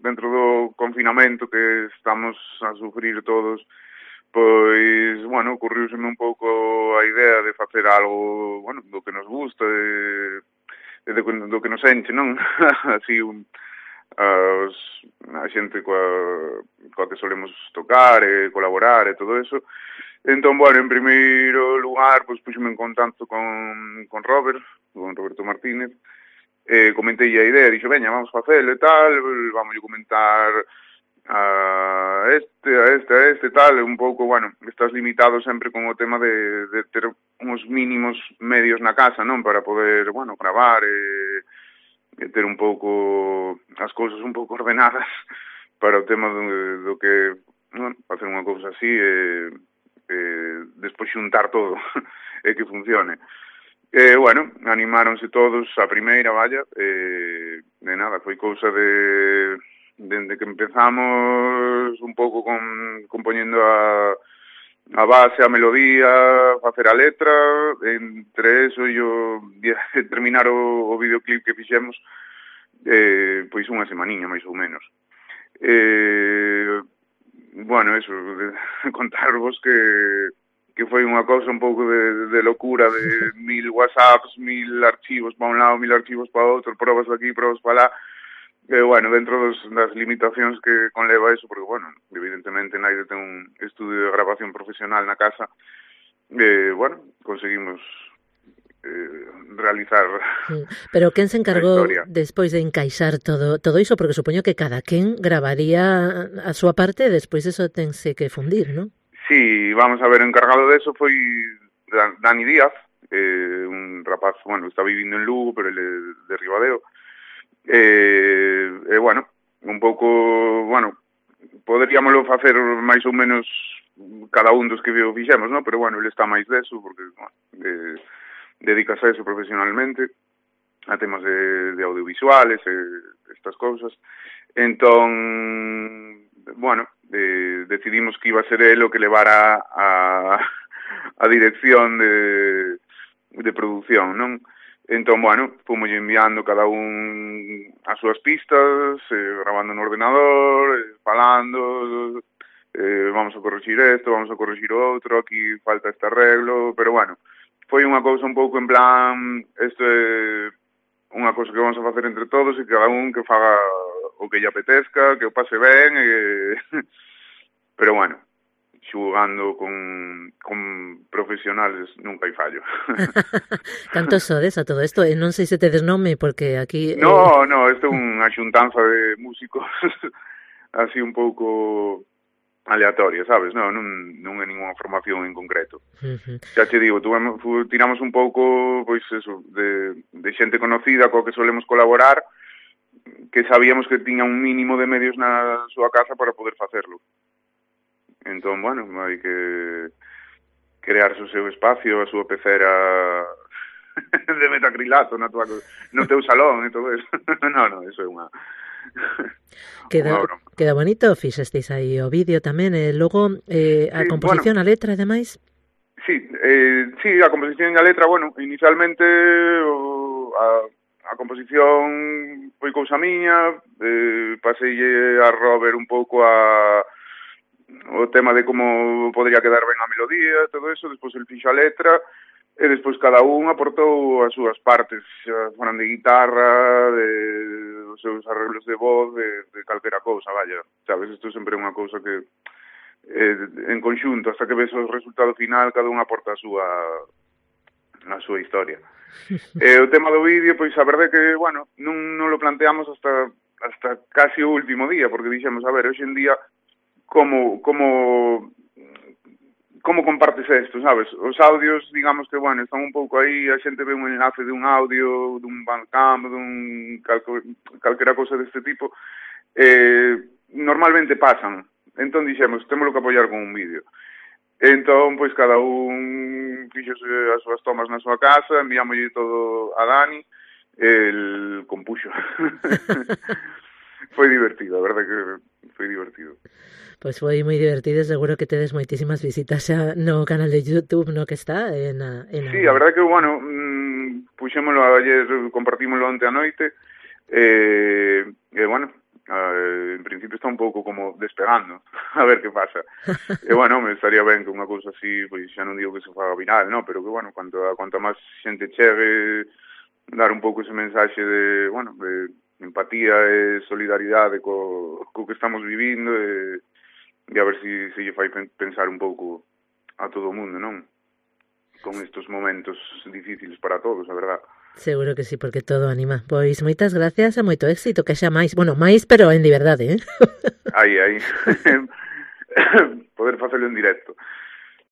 dentro do confinamento que estamos a sufrir todos, pois, bueno, ocurriuseme un pouco a idea de facer algo, bueno, do que nos gusta, do que nos enche, non? Así, a xente coa que solemos tocar e colaborar e todo eso. Entón, bueno, en primeiro lugar, pois puxeme en contacto con Roberto Martínez, comentei a idea, dixo, veña, vamos facelo e tal, vamos a comentar a este, tal, un pouco, bueno, estás limitado sempre con o tema de ter uns mínimos medios na casa, non? Para poder, bueno, gravar e ter un pouco as cousas un pouco ordenadas para o tema do que, bueno, facer unha cousa así e despois xuntar todo e que funcione. Bueno, animáronse todos a primeira, vaya, de nada, foi cousa dende que empezamos un pouco compoñendo a base, a melodía, facer a letra, entre eso e terminar o videoclip que fixemos, pois unha semaniña, máis ou menos. Bueno, eso, contarvos que foi unha cousa un pouco de locura, de 1000 WhatsApps, 1000 archivos para un lado, 1000 archivos para outro, probas aquí, probas para lá. Bueno, dentro das limitacións que conleva eso, porque, bueno, evidentemente naide ten un estudio de grabación profesional na casa, bueno, conseguimos realizar. Pero quen se encargou despois de encaixar todo iso, porque supoño que cada quen gravaría a súa parte e despois eso tense que fundir, non? Sí, vamos a ver, o encargado de eso foi Dani Díaz, un rapaz, bueno, está vivindo en Lugo, pero ele é de Ribadeo. Bueno, un pouco, bueno, poderíamoslo facer máis ou menos cada un dos que fixemos, non? Pero, bueno, ele está máis deso, porque, bueno, dedicase a eso profesionalmente, a temas de audiovisuales e estas cousas. Entón, bueno, decidimos que iba a ser el o que levara a dirección de produción, non? Entón, bueno, fomos enviando cada un as súas pistas, grabando no ordenador, falando, vamos a corregir isto, vamos a corregir outro, aquí falta este arreglo, pero, bueno, foi unha cousa un pouco en plan, isto é unha cousa que vamos a facer entre todos e cada un que faga o que lle apetezca, que o pase ben, pero, bueno, xugando con profesionales nunca hai fallo. Cantos sodes a todo isto? Non sei se tedes nome, porque aquí... No, isto é unha xuntanza de músicos así un pouco aleatoria, sabes? Non é ninguna formación en concreto. Xa che digo, tiramos un pouco, pois eso, de xente conocida coa que solemos colaborar, que sabíamos que tiña un mínimo de medios na súa casa para poder facerlo. Entón, bueno, hai que crearse o seu espacio, a súa pecera de metacrilato no teu salón e todo eso. No, eso é unha... Queda bonito, fixestes aí o vídeo tamén, e logo a composición, bueno, a letra, ademais? Sí, a composición e a letra, bueno, inicialmente a composición foi cousa miña, pasei a Robert un pouco o tema de como podría quedar ben a melodía, todo eso, despois el fixo a letra, e despois cada un aportou as súas partes, foran de guitarra, os seus arreglos de voz, de calquera cousa, vaya, sabes, isto sempre é unha cousa que en conxunto, hasta que ves o resultado final, cada un aporta a súa historia. O tema do vídeo, pois a verdade que, bueno, non lo planteamos hasta casi o último día, porque dixemos, a ver, hoxe en día, como compartes isto, sabes? Os audios, digamos que, bueno, están un pouco aí, a xente ve un enlace dun audio, dun Bandcamp, dun calquera cousa deste tipo, normalmente pasan. Entón dixemos, témolo que apoiar con un vídeo. Entón, pois, cada un fixose as súas tomas na súa casa, enviámoslle todo a Dani, el compuxo. Foi divertido, a verdade que foi divertido. Pois foi moi divertido, seguro que tedes moitísimas visitas xa no canal de YouTube, no que está Sí, a verdade que, bueno, puxémolo ayer, compartímoslo onte a noite, bueno, en principio está un pouco como despegando, a ver que pasa. E, bueno, me estaría ben que unha cousa así, pois xa non digo que se faga viral, no, pero que, bueno, cuanto máis xente chegue, dar un pouco ese mensaxe de, bueno, de empatía e solidaridade co que estamos vivindo e a ver se lle fai pensar un pouco a todo o mundo, non? Con estes momentos difíciles para todos, a verdad. Seguro que sí, porque todo anima. Pois moitas gracias e moito éxito, que xa máis. Bueno, máis, pero en liberdade, Aí. Poder facelo en directo.